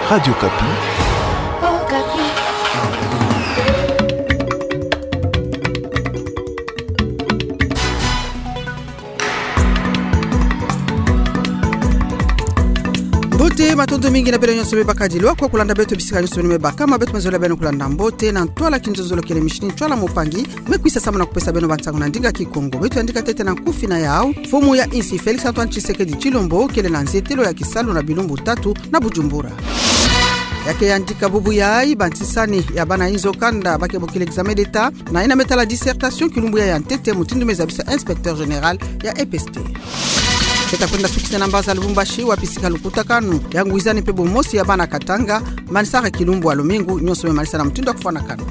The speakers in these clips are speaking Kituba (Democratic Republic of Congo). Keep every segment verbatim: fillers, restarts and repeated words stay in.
Radio Okapi. Okapi. Mbote, matondo mingi na beno nyonso me bakadilwa kwa kulanda beto bisika nyonso me baka, ma beto me zolele beno kulanda mbote na ntwala kinzonzolo kele mishini ntwala mpangi, me kwisa samu na kupesa beno bansangu na ndinga Kikongo. Beto yandika ntete na nkufi na yau. Mfumu ya insi Félix Antoine Tshisekedi Tshilombo kele na nzietelo ya kisalu na bilumbu tatu na Bujumbura. Ya ke yandika bubu yayi, bantsisani ya bana inzo kanda ba ke bokila examen d'État na yina me tala dissertation, kilumbu yayi ya ntete, mutindu me zabisa inspecteur général ya E P S T. Ke ta kwenda sukisa na mbanza Lubumbashi, wapi sika lukutakanu ya ngwizani mpe bumosi ya bana Katanga manisaka kilumbu ya lumingu, nyonso me manisa na mutindu ya kufwanakana.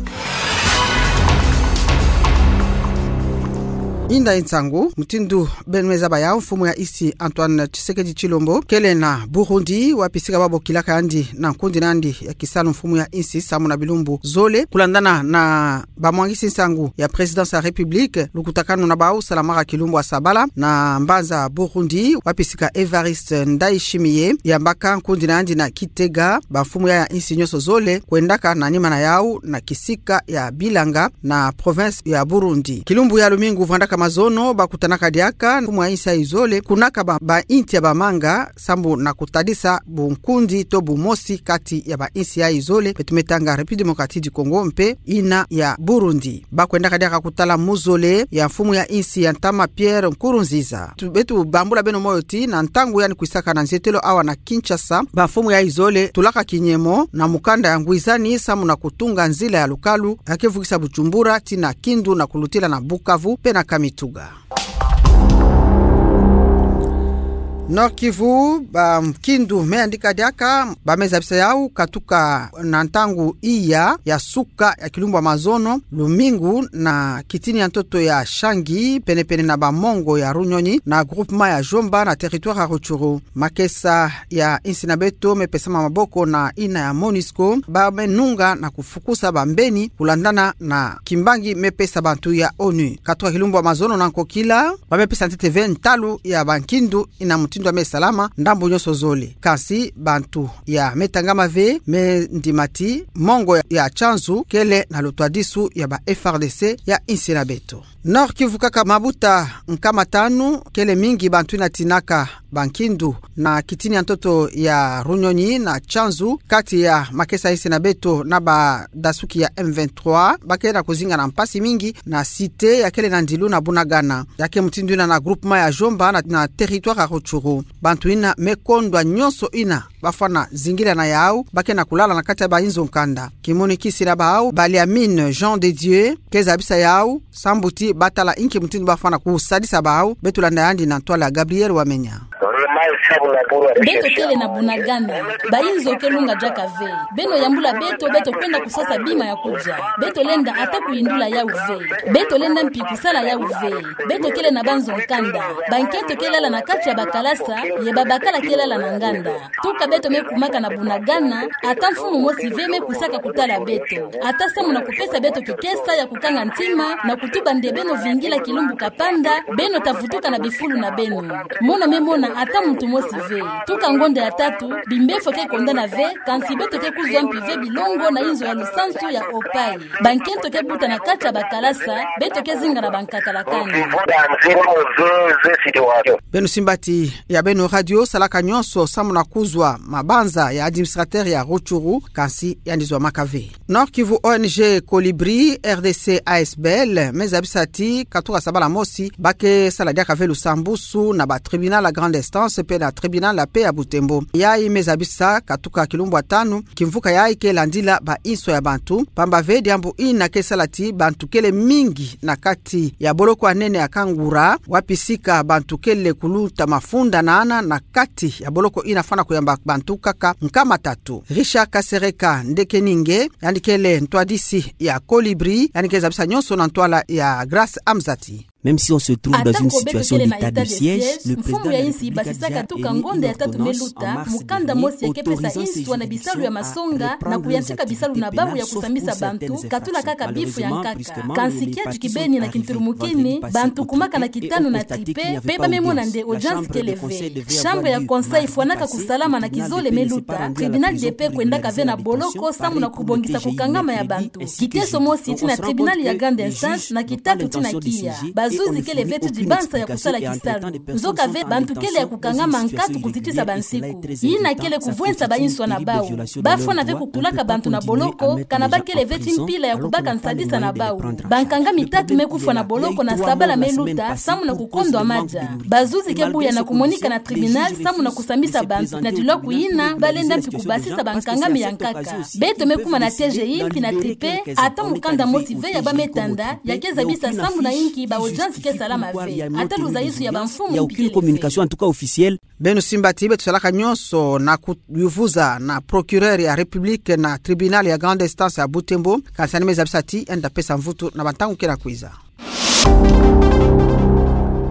Inda nsangu, mutindu beno me zaba yau, mfumu ya insi Antoine Tshisekedi Tshilombo kele na Burundi, wapi sika ba bokilaka yandi na nkundi na yandi ya kisalu mfumu ya insi samu na bilumbu zole, kulandana na bamwangisi nsangu ya Présidence ya République. Lukutakanu na bau salamaka kilumbu ya sabala na mbanza Burundi, wapi sika Évariste Ndayishimiye yambaka nkundi na yandi na Kitega bamfumu ya insi nyonso zole kwendaka na nima na yau na kisika ya Bilanga na province ya Burundi. Kilumbu ya lumingu vwandaka mazono, bakutanaka diaka mfumu ya insi yayi zole, kunaka ba, ba inti ya bamanga, sambu na kutadisa bunkundi to bumosi kati ya ba insi yayi zole, beto me tanga République Démocratique du Congo mpe yina ya Burundi. Bakwendaka diaka kutala muzole ya mfumu ya insi ya ntama Pierre Nkurunziza. Tu, beto bambula beno moyo ti na ntangu yandi kwisaka na nzietelo awa na Kinshasa, bamfumu yayi zole tulaka kinyemo na mukanda ya ngwizani samu na kutunga nzila ya lukalu ya ke vukisa Bujumbura tii na Kindu na kulutila na Bukavu mpe na Kamituga. Nord-Kivu, ba Kindu me yandika diaka, ba me zabisa yau katuka na ntangu iya ya suka ya kilumbu ya mazono, lumingu, na kitini ya ntoto ya Shangi, penepene na ba mongo ya Runyonyi, na groupement ya Jomba, na territoire ya Rutshuru. Makesa ya insi na beto me pesama maboko na yina ya MONUSCO, ba me nunga na kufukusa bambeni kulandana na kimbangi me pesa bantu ya ONU. Katuka kilumbu ya mazono na nkokila, ba me pesa ntete ve ntalu ya ba Kindu yina mutindu ya me salama ndambu nyonso zole. Kansi bantu ya me tangama ve me ndima ti mongo ya, ya Tchanzu kele na lutwadisu ya ba F A R D C ya insi na beto. Nord-Kivu kaka, mabuta nkama tanu kele mingi bantu yina tinaka ba Kindu na kitini ya ntoto ya Runyonyi na Tchanzu, kati ya makesa insi na beto na badasuki ya M vingt-trois, ba ke na kuzinga na mpasi mingi na cité ya kele na ndilu na Bunagana, ya ke mutindu yina na groupement ya Jomba na, na territoire ya Rutshuru. Bantu yina me kondwa nyonso yina bafwana zingila na yau, ba ke na kulala na kati ya ba inzo nkanda. Kimonikisi na bau, Baliamine Jean de Dieu ke zabisa yau sambu ti batala inki mutindu bafwana kusadisa bau. Beto landa yandi na ntwala ya Gabriel Wamenya. Beto kele na Bunagana, ba inzo ke lunga diaka ve. Beno yambula beto, beto kwenda kusasa bima ya kudia. Beto lenda ata kuyindula yau ve. Beto lenda mpi kusala yau ve. Beto kele na banzo nkanda. Bankento ke lala na kati ya bakalasa, ye babakala ke lala na nganda. Tuka beto me kumaka na Bunagana, ata mfumu mosi ve me kwisaka kutala beto. Ata samu na kupesa beto kikesa ya kukanga ntima, na kutuba nde beno vingila kilumbu kapanda, beno ta vutuka na bifulu na beno. Mono me mona ata muntu mosi ve. Tuka ngonda ya tatu, bimbefo ke kondana ve, kansi beto ke kuzwa mpi ve bilongo na inzo ya lusansu ya Opaï. Bankento ke buta na kati ya bakalasa, beto ke zinga na bankakala kani. Beno simba ti ya beno radio salaka nyonso samu na kuzwa mabanza ya administrateur ya Rutshuru, kansi yandi zwamaka ve. Nord-Kivu, O N G Colibri, R D C A S B L me zabisa ti katuka sabala mosi, ba ke sala diaka ve lusambusu na ba tribunal ya grande instance mpe na tribunal ya paix ya Butembo. Yayi me zabisa katuka kilumbu ya tanu, kimvuka yayi ke landila ba inso ya bantu, pamba ve diambu yina ke sala ti bantu kele mingi na kati ya boloko ya nene ya Kangura, wapi sika bantu kele kuluta mafunda na ana na kati ya boloko yina fwana kuyamba bantu kaka nkama tatu. Richard Kasereka Ndekeninge, yandi kele ntwadisi ya Colibri, yandi ke zabisa nyonso na ntwala ya Grace Amzati. Même si on se trouve dans une situation d'état de siège, le président de la République a déjà émis une ordonnance en mars dernier autorisant ces juridictions à reprendre leurs activités pénales, sauf pour certaines infractions. Malheureusement, brusquement, le, le parquet central a prévu vendredi passé au tribunal et ont constaté qu'il n'y avait pas audience. La chambre de conseil fwanaka kusalama na kizole me luta, tribunal de paix kwendaka ve na boloko samu na kubongisa kukangama ya bantu. Kiteso mosi ti na tribunal ya grande instance na kitatu ti na kiya. Bazuzi kele ve ti dibansa ya kusala kisalu. Nzoka ve bantu kele ya kukangama nkatu kuzitisa bansiku. Yina kele kuvwensa ba inswa na bau. Bafwana ve kukulaka bantu na boloko, kana bakele ve ti mpila ya kubaka nsadisa na bau. Bankangami tatu me kufwa na boloko na sabala me luta, samu na kukondwa madia. Bazuzi ke buya na kumonika na tribunal, samu na kusambisa bantu na dilwaku yina, balenda mpi kubasisa bankangami ya nkaka. Beto me kuma na teje yimpi na tripe, ata mukanda mosi ve ya ba me tanda, ya ke zabisa sambu na inki ba audience ke salama ve. Ata luzayisu ya bamfumu mpi kele ve. Beno simba ti beto salaka nyonso na kuyuvuza na procureur ya République na tribunal ya grande instance ya Butembo, kansi yandi me zabisa ti yandi ta pesa mvutu na bantangu ke na kwiza.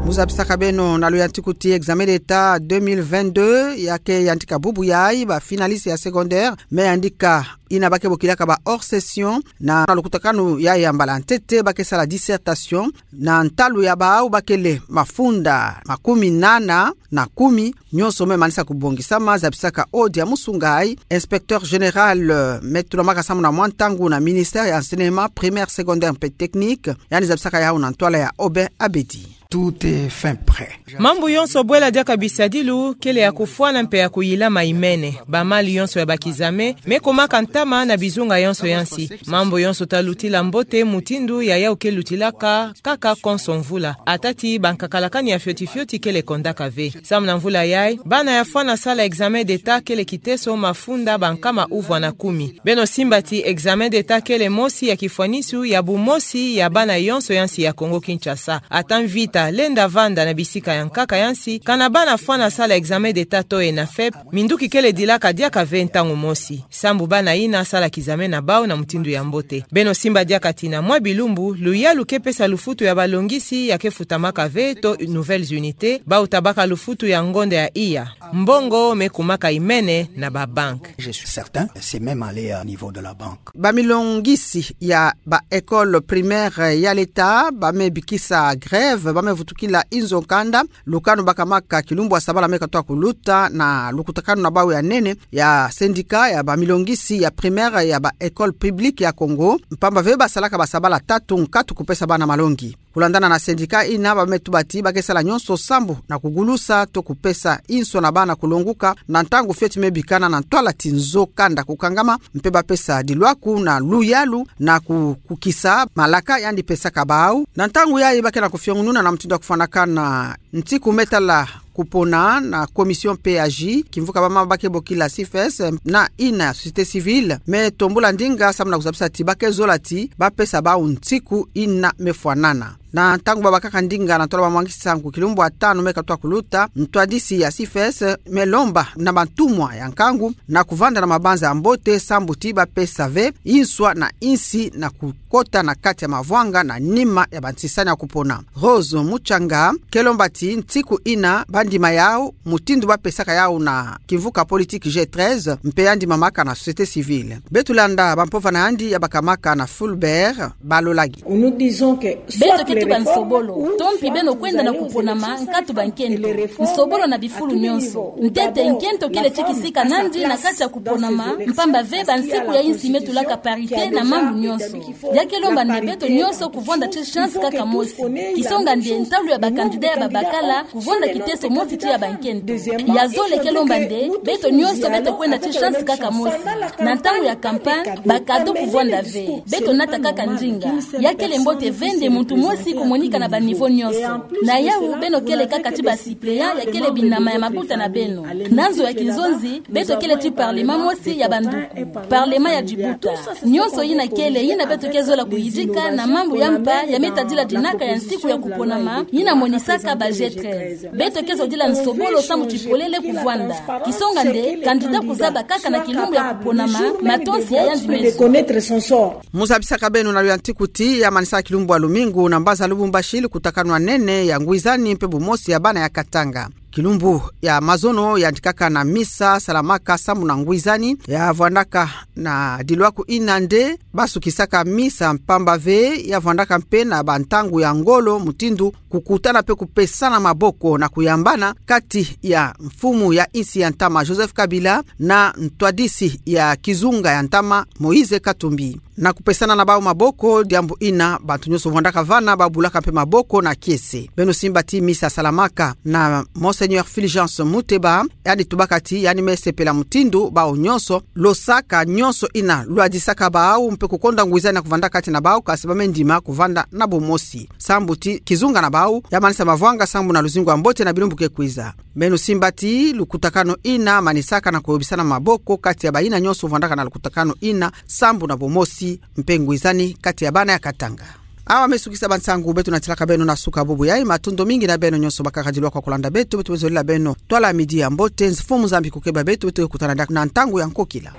Mu zabisaka beno na luyantiku ti examen d'État deux mille vingt-deux, ya ke yandika bubu yayi, ba finalistes ya secondaire me yandika, yina ba ke bokilaka ba hors session, na lukutakanu yayi ya mbala ntete ba ke sala dissertation na ntalu ya bau ba kele mafunda makumi nana na kumi. Nyonso me manisa kubongisama, zabisaka odi ya musungayi, inspecteur général, euh, me tulamaka samu na mwa ntangu na ministère ya enseignement primaire, secondaire mpe technique, yandi zabisaka yawu na ntwala ya Aubin Abedi. Tout est fin prêt. Mambu yonso bwela diaka bisadilu, kele ya kufwana mpe ya kuyilama imene. Ba mali yonso ya ba kizame me kumaka ntama na bizunga yonso ya nsi. Mambu yonso ta lutila mbote mutindu ya yawu ke lutilaka kaka konso mvula. Ata ti bankakalakani ya fioti fioti kele kondaka ve. Samu na mvula yayi, bana ya fwana sala examen d'État kele kiteso mafunda bankama uvwa na kumi. Beno simba ti examen d'État kele mosi ya kifwanisu ya bumosi ya bana yonso ya nsi ya Congo-Kinshasa. Ata mvita lenda vanda na bisika ya nkaka ya nsi, kana bana fwana sala examen d'État to ENAFEP, minduki kele dilaka diaka ve ntangu mosi. Sambu bana yina sala kizame na bau na mutindu ya mbote. Beno simba diaka ti na mwa bilumbu, luyalu ke pesa lufutu ya balongisi ya ke futamaka ve to nouvelles unités, bau ta baka lufutu ya ngonda ya iya. Mbongo me kumaka imene na ba banque. Je suis certain, c'est même allé à niveau de la banque. Ba milongisi ya ba école primaire ya l'État ba me bikisa grève, ba me vutukila inzo kanda, lukanu ba kamaka kilumbu ya sabala me katoa kuluta na lukutakanu na bau ya nene ya syndicat ya ba milongisi ya primaire ya ba école publique ya Congo, mpamba ve ba salaka ba sabala tatu nkatu kupesa bana malongi. Kulandana na syndicat yina, ba me tuba ti ba ke sala nyonso sambu na kugulusa to kupesa inso na bana kulonguka na ntangu fioti me bikana na ntwala ti nzo kanda kukangama, mpe ba pesa dilwaku na luyalu na ku-, kukisa malaka yandi pesaka bau. Na ntangu yayi ba ke na kufiongununa na mutindu ya kufwanakana ntiku me tala kupona na commission P A J, kimvuka ba mama ba ke bokila CIFES, na yina société civile, me tombula ndinga samu na kuzabisa ti ba ke zola ti ba pesa bau ntiku yina me fwanana. Na ntangu ba bakaka ndinga na ntwala ba mwangisa nsangu kilumbu ya tanu me katoa kuluta, ntwadisi ya CIFES me lomba na bantumwa ya nkangu na kuvanda na mabanza ya mbote sambu ti ba pesa ve inswa na insi na kukota na kati ya mavwanga na nima ya bantisani ya kupona. Rose Muchanga ke lomba ti ntiku yina ba ndima yau mutindu ba pesaka yau na kimvuka politique G treize, mpe ya ndimamaka na société civile. Beto landa ba mpova na yandi ya bakamaka na Fulbert Balolagi. Beto ke tuba nsobolo, to mpi beno kwenda na kuponama nkatu ba nkento. Nsobolo na bifulu nyonso. Ntete nkento kele ti kisika nandi na kati ya kuponama, mpamba ve ba nsiku ya insi me tulaka parité na mambu nyonso. Ya ke lomba nde beto nyonso kuvwanda ti chance kaka mosi. Kisonga nde ntalu ya ba candidat ya babakala kuvwanda kiteso mosi ti ya ba nkento. Ya zole ke lomba nde beto nyonso beto kwenda ti chance kaka mosi. Na ntangu ya campagne, ba cadeau kuvwanda ve. Beto nata kaka ndinga. Ya kele mbote ve nde muntu mosi kumonika na ba niveau nyonso. Na yawu beno kele kaka ti ba suppléant ya kele binama ya mabuta na beno. Na nzo ya kizonzi, beto kele ti parlement mosi ya banduku. Parlement ya dibuta. Nyonso yina kele, yina beto ke zola kuyidika na mambu ya mpa ya me tadila dinaka ya nsiku ya kuponama, yina monisaka ba G treize. Beto ke zodila nsobolo sambu ti polele kuvwanda. Kisonga nde, candidat kuzaba kaka na kilumbu ya kuponama, matonsi ya yandi meso. Mu zabisaka beno na luyantiku ti ya manisa kilumbu ya lumingu na mbazi Lubumbashi, lukutakanu ya nene ya ngwizani mpe bumosi ya bana ya Katanga. Kilumbu ya mazono yandikaka na misa salamaka sambu na ngwizani, ya vwandaka na dilwaku ina nde basukisaka misa, mpamba ve ya vwandaka mpe na bantangu ya ngolo mutindu kukutana mpe kupesana maboko na kuyambana kati ya mfumu ya insi ya ntama Joseph Kabila na ntwadisi ya kizunga ya ntama Moïse Katumbi. Na kupesana na bau maboko, diambu ina bantu nyonso vwandaka vana babulaka mpe maboko na kiese. Beno simba ti misa salamaka na Monseigneur Fulgence Muteba, yandi tubaka ti yandi me sepela mutindu bau nyonso losaka nyonso ina lwadisaka bau mpe kukonda ngwizani ya kuvanda kati na bau, kasi ba me ndima kuvanda na bumosi sambu ti kizunga na bau ya manisa mavwanga sambu na luzingu ya mbote na bilumbu ke kwiza. Beno simba ti lukutakanu ina manisaka na kuyobisana maboko kati ya bayina nyonso vwandaka na lukutakanu ina sambu na bumosi mpe ngwizani kati ya bana ya Katanga. Awa me sukisa bansangu beto natilaka beno na suka bubu yayi. Matondo mingi na beno nyonso bakaka dilwa kwa kulanda beto. Beto me zolila beno twala midi ya mbote. Mfumu Nzambi kukeba beto, beto kutana diaka na ntangu ya nkokila.